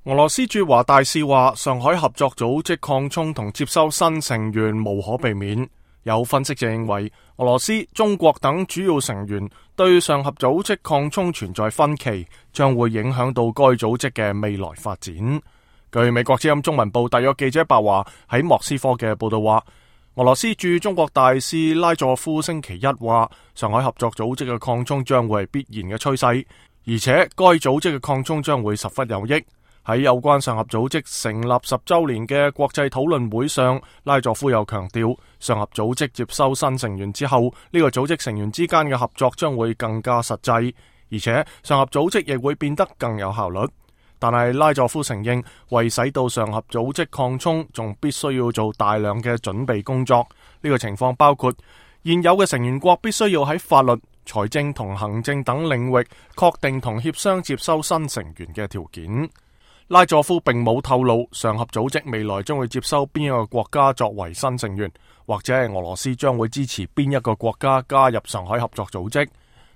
俄羅斯駐華大使話，上海合作組織擴充同接收新成員無可避免。有分析就認為，俄羅斯、中國等主要成員對上合組織擴充存在分歧，將會影響到該組織嘅未來發展。據美國之音中文部特約記者白華喺莫斯科嘅報道話，俄羅斯駐中國大使拉佐夫星期一話，上海合作組織嘅擴充將會係必然嘅趨勢，而且該組織嘅擴充將會十分有益。喺有關上合組織成立10週年嘅國際討論會上，拉佐夫又強調，上合組織接收新成員之後，呢個組織成員之間嘅合作將會更加實際，而且上合組織亦會變得更有效率。但係拉佐夫承認，為使到上合組織擴充，仲必須要做大量嘅準備工作。呢個情況包括現有嘅成員國必須要喺法律、財政同行政等領域確定同協商接收新成員嘅條件。拉佐夫並冇透露上合組織未來將會接收邊一個國家作為新成員，或者係俄羅斯將會支持邊一個國家加入上海合作組織。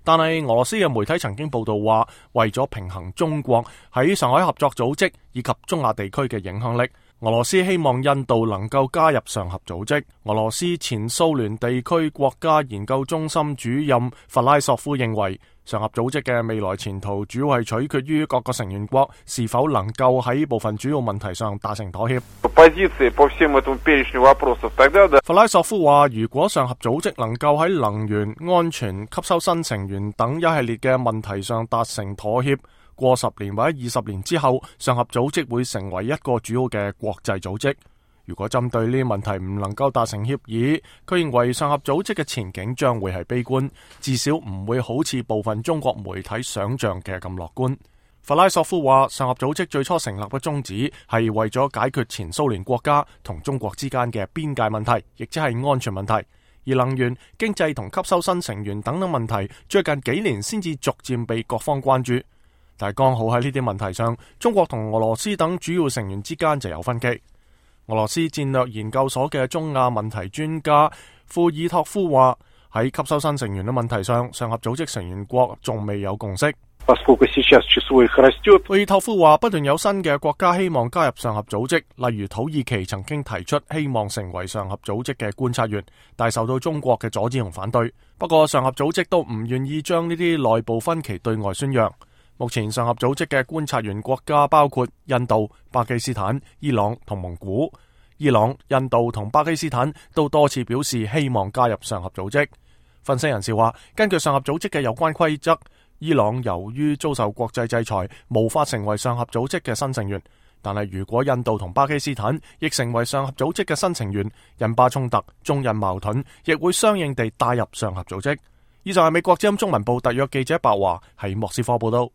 但係俄羅斯嘅媒體曾經報道話，為咗平衡中國喺上海合作組織以及中亞地區嘅影響力，俄羅斯希望印度能夠加入上合組織。俄羅斯前蘇聯地區國家研究中心主任弗拉索夫認為，上合組織嘅未來前途主要係取決於各個成員國是否能夠喺部分主要問題上達成妥協。弗拉索夫話，如果上合組織能夠喺能源、安全、吸收新成員等一系列嘅問題上達成妥協，過10年或者20年之後，上合組織會成為一個主要嘅國際組織。如果針對呢啲問題唔能夠達成協議，佢認為上合組織嘅前景將會係悲觀，至少唔會好似部分中國媒體想象嘅咁樂觀。弗拉索夫話，上合組織最初成立嘅宗旨係為咗解決前蘇聯國家同中國之間嘅邊界問題，亦即係安全問題。而能源、經濟同吸收新成員等等問題，最近幾年先至逐漸被各方關注。但係剛好喺呢啲問題上，中國同俄羅斯等主要成員之間就有分歧。俄羅斯戰略研究所嘅中亞問題專家庫爾托夫話，喺吸收新成員嘅問題上，上合組織成員國仲未有共識。庫爾托夫話，不斷有新嘅國家希望加入上合組織，例如土耳其曾經提出希望成為上合組織嘅觀察員，但受到中國嘅阻止同反對。不過上合組織都唔願意將呢啲內部分歧對外宣揚。目前上合組織嘅觀察員國家包括印度、巴基斯坦、伊朗同蒙古。伊朗、印度同巴基斯坦都多次表示希望加入上合組織。分析人士話，根據上合組織嘅有關規則，伊朗由於遭受國際制裁，無法成為上合組織嘅新成員。但係如果印度同巴基斯坦亦成為上合組織嘅新成員，印巴衝突、中印矛盾亦會相應地帶入上合組織。以上係美國之音中文部特約記者白華喺莫斯科報道。